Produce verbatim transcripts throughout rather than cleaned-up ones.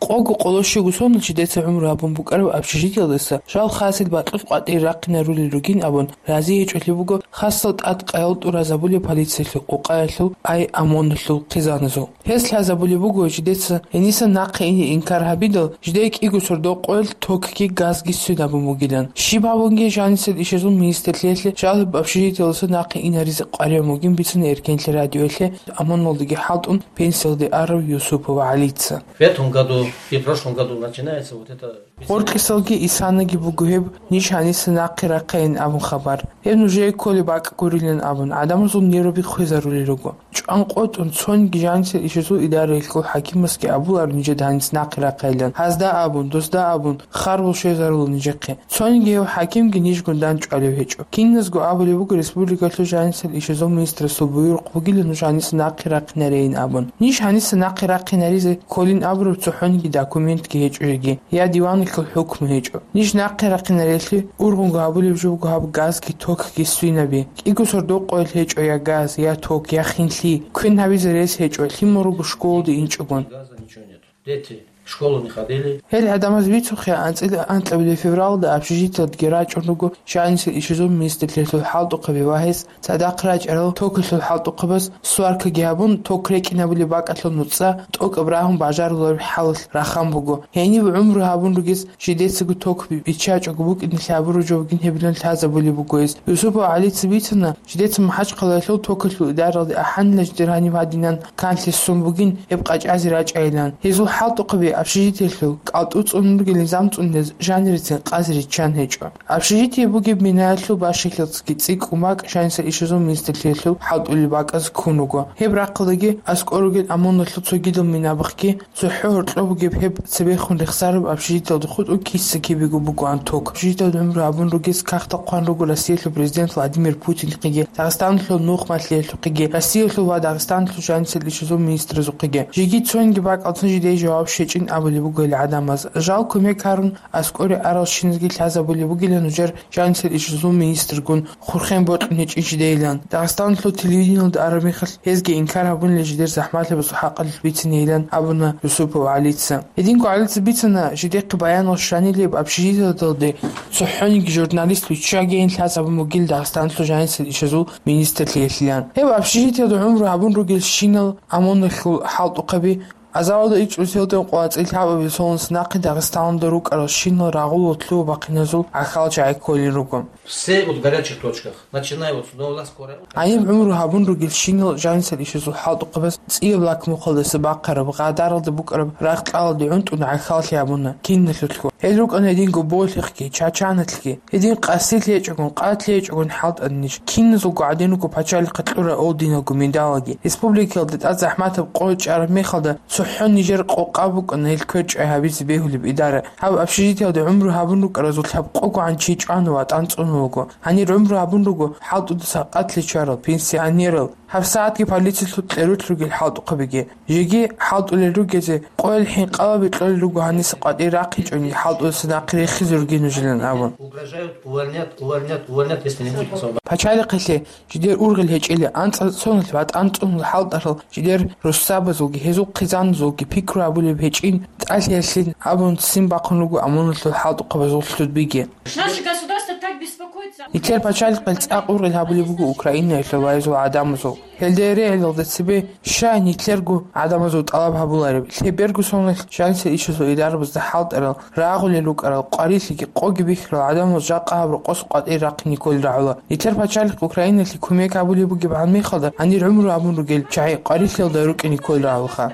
Къого къоло щуго соналъ жидеца гӀумру гьабун букӀараб общежитиялдаса жал хасил бакьулъ къватӀир рахъинарулел ругин абун, рази гьечӀолъи буго хасал тӀад къаял тӀуразабулеб полициялъул къукъаялъул, ай ОМОНалъул хъизаназул. Гьес лъазабулеб буго, жидеца гьениса нахъе ине инкар гьабидал, жидее кӀиго сордо къоялъ токги газги сцинабун бугилан. Щиб гьабунги жанисел ишазул министрлъиялъе жал гьеб общежитиялдаса нахъе инаризе къваригӀун бугин бицана Эркенлъи радиоялъе ОМОНалдаги хӀалтӀун пенсиялде арав Юсупов ГӀалица. В этом году и прошлом году начинается вот это. Гъоркьисалги исанаги буго гьеб, ниж гьаниса нахъе рахъейин абун хабар. Гьеб нужее кколеб бакӀ гурилан абун, гӀадамазул нерваби хвезарулел руго. ЧӀван къотӀун, цониги жанисел ишазул идараялъул хӀакимасги абуларо нижеда гьаниса нахъе рахъейилан. Гьазда абун, досда абун, харбул щвезарула нижехъе. Цониги гьев хӀакимги нижгун дандчӀвалев гьечӀо. Киназго абулеб буго республикалъул жанисел ишазул министрасул буюрухъ бугилан нуж гьаниса нахъе рахъинарейин абун. Ниж гьаниса нахъе рахъинаризе кколин абураб цохӀониги документги гьечӀо жеги, я диванухъал хӀукму гьечӀо. Ниж нахъе рахъинарелъи ургъунго гьабулеб жо буго гьаб газги токги сцинабиги. КӀиго сордо къоялъ гьечӀо я газ, я ток, я хинлъи. Квен гьабизе рес гьечӀо, лъимал руго школалде инчӀогун. Газа ничего нет. Дети в школу не ходили. Гьел гӀадамаз бицухъе, анцӀила анкьабилеб февралда общежитиялдеги рачӀун руго жанисел ишазул министрлъиялъул хӀалтӀухъаби ва гьес цадахъ рачӀарал токалъул хӀалтӀухъабаз сваркаги гьабун, ток рекӀинабулеб бакӀалъул нуцӀа тӀокӀаб рагьун бажарулареб хӀалалъ рахан буго. Гьениб гӀумру гьабун ругез жидецаго ток биччачӀого букӀиналъе гьабураб жо бугин гьебилан лъазабулеб буго гьес. Юсупов ГӀалица бицана, жидеца МахӀачхъалаялъул токалъул идаралде ахӀанила жидер гьаниб гьадинан канлъи ссун бугин гьеб къачӀазе рачӀайилан. Гьезул хӀалтӀухъаби общежитиялъул кӀалтӀу цӀунун ругел низам цӀунизе жанирецин къазе риччан гьечӀо. Общежитие бугеб минаялъул бащалъиялдасаги цӀикӀкӀун бакӀ жанисел ишазул министрлъиялъул хӀалтӀулел бакӀаз ккун руго. Гьеб рахъалдаги аскӀор ругел ОМОНалъул цогидал минабахъги ЦохӀо гьоркьоб бугеб гьеб цебехун рехсараб общежитиялда хутӀун киса-кибего бугоан ток. Общежитиялда гӀумру гьабун ругез кагътал хъван руго Россиялъул президент Владимир Путинихъеги, Дагъистаналъул нухмалъиялъухъеги, Россиялъул ва Дагъистаналъул жанисел ишазул министразухъеги. Жеги цониги бакӀалдасан жидее жаваб щечӀин абулеб буго гьел гӀадамаз. Жал кумек гьарун аскӀоре арал щиназги лъазабулеб бугилан нужер жанисел ишазул министргун хурхен бокьун гьечӀин жидейилан. Дагъистаналъул телевидениялда араб мехалъ гьезги инкар гьабунила жидер захӀмалъабазул хӀакъалъулъ бицинейилан абуна Юсупов ГӀалица. Гьединго ГӀалица бицана, жидехъе баянал щванилеб общежитиялдалде цохӀониги журналист виччагейин лъазабун бугил Дагъистаналъул жанисел ишазул министрлъиялъилан. Гьеб общежитиялда гӀумру гьабун ругелщинал ОМОНалъул хӀалтӀухъаби Азавалда ичӀусилда къвацӀил гьабаби солнце нахъе Дагъистаналда рукӀарал щинал рагъул ва лъугьа-бахъиназул гӀахьал чагӀи кколел руго. Все вот в горячих точках, начиная вот с нового скорая. Гьаниб гӀумру гьабун ругел щинал жанисел ишазул хӀалтӀухъабаз цӀияб лакмухъалдаса бахъараб, гъадаралда букӀараб рагъ-кьалалде гӀунтӀун гӀахьаллъи гьабуна киналъулъго. Гьел рукӀана гьединго болъихъги, чачаналъги. Гьедин къасилъи гьечӀогун, къатлъи гьечӀогун хӀалтӀана ниж. Киназулго гӀадин руго пачалихъе кьурал орденалго медалаги. Республикаялда тӀад захӀматаб къо чӀараб мехалда цохӀо нижер къокъаб букӀана гьел квер чӀвай гьабизе бегьулеб идара. Гьаб общежитиялда гӀумру гьабун рукӀаразул лъабкъогогӀан чи чӀвана ватӀан цӀунулго. Гьанир гӀумру гьабун руго хӀалтӀудаса къатлъи чӀварал пенсионерал. ГьабсагӀатги полициялъул кьерулъ ругел хӀалтӀухъабиги. Жеги хӀалтӀулел ругезе къоял хӀинкъалаби кьолел руго гьаниса къватӀир рахъинчӀони хӀалтӀудаса нахъе рехизе ругин нужилан абун. Угрожают, увольнят, увольнят, увольнят, если не будет освобожден. Пачалихъалъе жидер ургъел гьечӀила анцӀа соналъ ватӀан цӀунулел хӀалтӀарал жидер руссабазулги гьезул хъизаназулги пикру гьабулеб гьечӀин тӀалъиялъин абун ццин бахъун руго ОМОНалъул хӀалтӀухъабазул лъудбиги. Наше государство так беспокоится. Нилъер пачалихъалъ цӀакъ ургъел гьабулеб буго Украинаялъул ва гьезул гӀадамазул. Гьелда регӀелалда цебе щай нилъерго гӀадамазул тӀалаб гьабулареб? Лъеберго соналъ жанисел ишазул идарабазда хӀалтӀарал, рагъулел рукӀарал, къварилъиги къоги бихьарал гӀадамал жакъа гьаб рокъос къватӀир рахъине кколел рагӀула. Нилъер пачалихъ Украиналъе кумек гьабулеб бугебгӀан мехалда, гьанир гӀумру гьабун ругел чагӀи къварилъиялда рукӀине кколел рагӀулаха.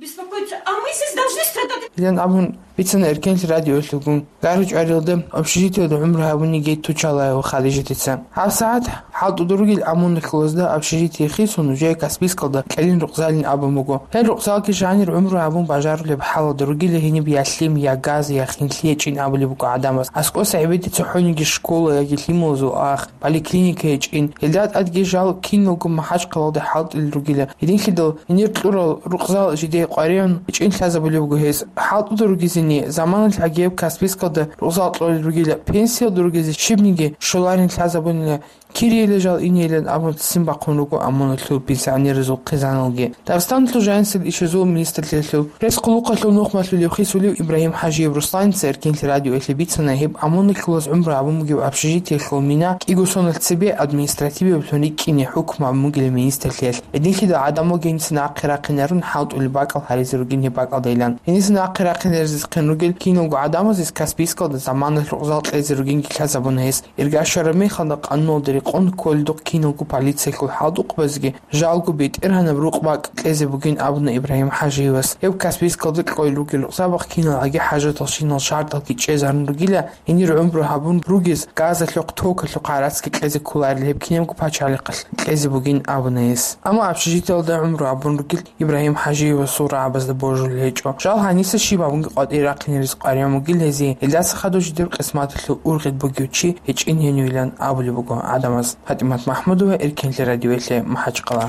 Беспокоиться, а мы здесь должны страдать. Илан абун бицана Эркенлъи радиоялъулгун. ГаручӀарилда общежитиялда гӀумру гьабуниги Тучалаева Хадижатица. ГьабсагӀат хӀалтӀуда ругел ОМОНалъулазда общежитие хисун, нужее Каспийскалда кьелин рукъзалин абун буго. Гьел рукъзалги жанир гӀумру гьабун бажарулеб хӀалалда ругила гьениб я лъим, я газ, я хинлъи гьечӀин абулеб буго гӀадамаз. АскӀоса гӀебеде цохӀониги школа яги лъималазул ах, поликлиника гьечӀин. Гьелда тӀадги жал киналго МахӀачхъалалда хӀалтӀулел ругила. Гьединлъидал гьенир кьурал рукъзал жидее къваригӀун гьечӀин лъазабулеб буго гьез. ХӀалтӀуда ругезин Заманалъ гьагиб Каспийскалда рузал кьолел ругила, пенсиялда ругезе щибниги щоларин лъазабунила, кирийила жал инейилан абун ццин бахъун руго ОМОНалъул пенсионерзул хъизаналги. Дагъистаналъул жанисел ишазул министрлъиялъул пресс-хъулухъалъул нухмалъулев хисулев Ибрагьим ХӀажиев Русланица Эркенлъи радиоялъе бицана гьеб ОМОНалъулаз гӀумру гьабун бугеб общежитиялъул мина кӀиго соналъ цебе административиблъун рикӀкӀине хӀукму гьабун бугила министрлъиялъ. Гьединлъидал гӀадамал гьениса нахъе рахъинарун хӀалтӀулеб бакӀал гьаризе ругин гьеб бакӀалдайилан. Гьениса нахъе рахъинарезехъин ругел киналго гӀадамазес Каспийскалда заманалъ рузал кьезе ругинги лъазабуна гьес. Ирга щвараб мехалда къануналда рекъон кколдухъ киналго полициялъул хӀалтӀухъбазги жалго БетӀергьанаб рукъ-бакӀ кьезе бугин абуна Ибрагьим ХӀажиевас. Гьеб Каспийскалда кьолел ругел рузабахъ киналгӀаги хӀажаталщинал шартӀалги чӀезарун ругила, гьенир гӀумру гьабун ругез газалъухъ, токалъухъ гӀарацги кьезе кколарел гьеб кинабго пачалихъалъ кьезе бугин абуна гьес. Амма общежитиялда гӀумру гьабун ругел Ибрагьим ХӀажиевасул рагӀабазда божулел гьечӀо. Жал гьаниса щиб гьабунги къватӀире рахъинарез къваригӀун бугил гьезие, гьелдаса хадуб жидер къисматалъул ургъел бугев чи гьечӀин гьенивилан абулеб буго гӀадамаз. ПатӀимат МахӀмудова, Эркенлъи радиоялъе, МахӀачкъала.